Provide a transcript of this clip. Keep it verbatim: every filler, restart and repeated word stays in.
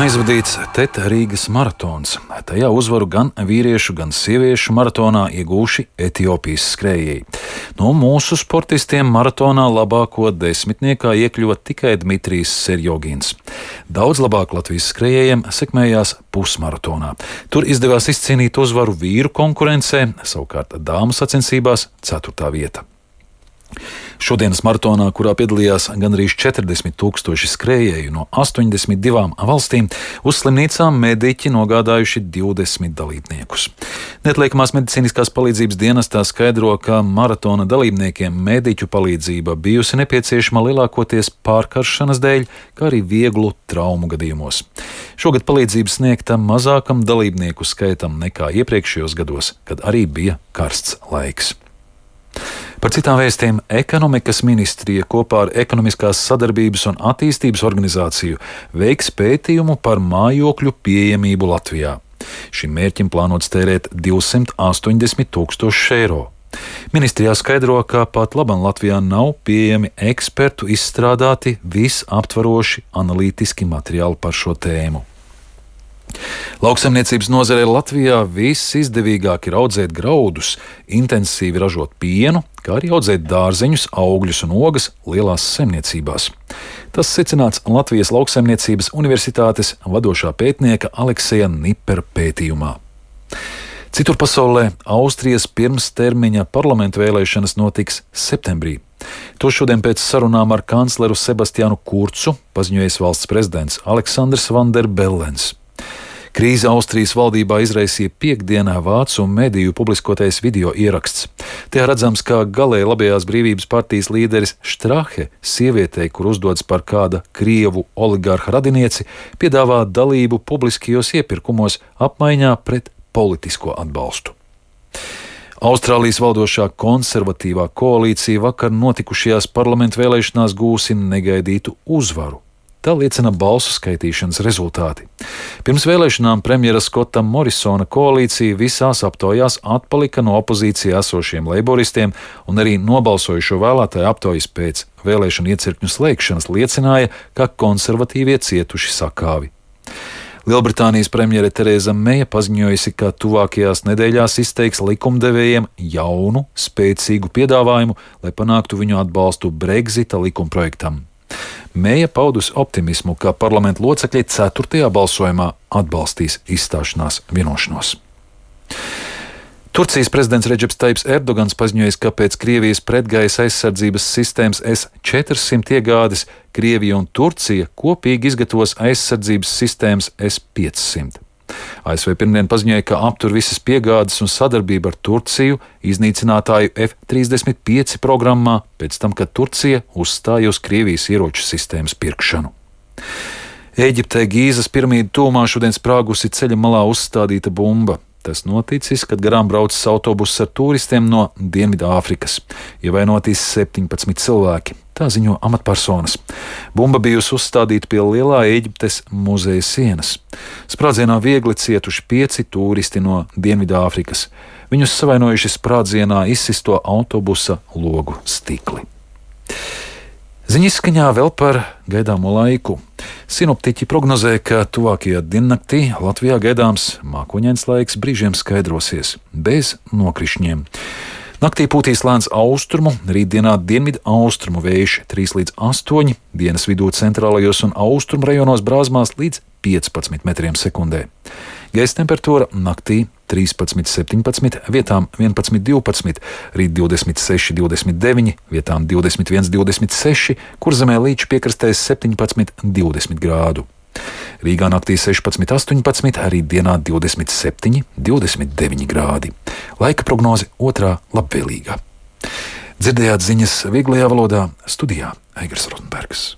Aizvadīts Teta Rīgas maratons. Tajā uzvaru gan vīriešu, gan sieviešu maratonā iegūši Etiopijas skrējēji. No mūsu sportistiem maratonā labāko desmitniekā iekļuva tikai Dmitrijs Serjogins. Daudz labāk Latvijas skrējējiem sekmējās pusmaratonā. Tur izdevās izcīnīt uzvaru vīru konkurencē, savukārt dāmu sacensībās ceturtā vieta. Šodienas maratonā, kurā piedalījās gandrīz četrdesmit tūkstoši skrējēju no astoņdesmit divām valstīm, uz slimnīcām mediķi nogādājuši divdesmit dalībniekus. Neatliekamās medicīniskās palīdzības dienestā skaidro, ka maratona dalībniekiem mediķu palīdzība bijusi nepieciešama lielākoties pārkaršanas dēļ, kā arī vieglu traumu gadījumos. Šogad palīdzību sniegta mazākam dalībnieku skaitam nekā iepriekšējos gados, kad arī bija karsts laiks. Par citām vēstiem ekonomikas ministrija kopā ar Ekonomiskās sadarbības un attīstības organizāciju veiks pētījumu par mājokļu pieejamību Latvijā. Šim mērķim plānots tērēt divsimt astoņdesmit tūkstoši eiro. Ministrijā skaidro, ka pat labam Latvijā nav pieejami ekspertu izstrādāti visaptvaroši analītiski materiāli par šo tēmu. Lauksaimniecības nozarē Latvijā visizdevīgāk ir audzēt graudus, intensīvi ražot pienu, kā arī audzēt dārzeņus, augļus un ogas lielās saimniecībās. Tas secināts Latvijas Lauksaimniecības universitātes vadošā pētnieka Alekseja Nipera pētījumā. Citur pasaulē Austrijas pirmstermiņa parlamentu vēlēšanas notiks septembrī. To šodien pēc sarunām ar kancleru Sebastianu Kurcu paziņojis valsts prezidents Aleksandrs Van der Bellens. Krīze Austrijas valdībā izraisīja piekdienā vācu mediju publiskotais video ieraksts. Tajā redzams, kā galēji labējās brīvības partijas līderis Strahe sievietei, kur uzdodas par kāda krievu oligarha radinieci, piedāvā dalību publiskajos iepirkumos apmaiņā pret politisko atbalstu. Austrālijas valdošā konservatīvā koalīcija vakar notikušajās parlamentu vēlēšanās gūsi negaidītu uzvaru. Tā liecina balsu skaitīšanas rezultāti. Pirms vēlēšanām premjera Skota Morisona koalīcija visās aptaujās atpalika no opozīcijā esošiem leiboristiem, un arī nobalsojušo vēlētāju aptaujas pēc vēlēšanu iecirkņu slēgšanas liecināja, ka konservatīvie cietuši sakāvi. Lielbritānijas premjere Tereza Meja paziņojusi, ka tuvākajās nedēļās izteiks likumdevējiem jaunu, spēcīgu piedāvājumu, lai panāktu viņu atbalstu Brexita likumprojektam. Meja paudusi optimismu, ka parlamenta locekļi ceturtajā balsojumā atbalstīs izstāšanās vienošanos. Turcijas prezidents Redžeps Taips Erdogans paziņojis, ka pēc Krievijas pretgaisa aizsardzības sistēmas S četrsimt iegādes Krievija un Turcija kopīgi izgatavos aizsardzības sistēmas S piecsimt. A S V pirmdien paziņoja, ka aptur visas piegādes un sadarbību ar Turciju iznīcinātāju F trīsdesmit pieci programmā pēc tam, kad Turcija uzstāja uz Krievijas ieroču sistēmas pirkšanu. Ēģiptē Gīzas piramīdu tūmā šodien sprāgusi ceļa malā uzstādīta bumba. Tas noticis, kad garām braucis autobuss ar turistiem no Dienvidāfrikas. Ievainoti septiņpadsmit cilvēki, tā ziņo amatpersonas. Bumba bijusi uzstādīta pie lielā Ēģiptes muzeja sienas. Sprādzienā viegli cietuši pieci turisti no Dienvidāfrikas. Viņus savainojuši sprādzienā izsisto autobusa logu stikli. Ziņu izskaņā vēl par gaidāmo laiku. Sinoptiķi prognozē, ka tuvākajā diennaktī Latvijā gaidāms mākoņains laiks, brīžiem skaidrosies, bez nokrišņiem. Naktī pūtīs lēns austrumu, rītdienā dienvidu austrumu vējš trīs līdz astoņi, dienas vidū centrālajos un austrumu rajonos brāzmās līdz piecpadsmit metriem sekundē. Gaisa temperatūra naktī trīspadsmit septiņpadsmit, vietām vienpadsmit divpadsmit, rīt divdesmit seši divdesmit deviņi, vietām divdesmit viens divdesmit seši, Kurzemē līča piekrastēs septiņpadsmit divdesmit grādu. Rīgā naktī sešpadsmit astoņpadsmit, rīt dienā divdesmit septiņi divdesmit deviņi grādi. Laika prognoze otrā labvēlīgā. Dzirdējāt ziņas vieglajā valodā, studijā Aigars Rozenbergs.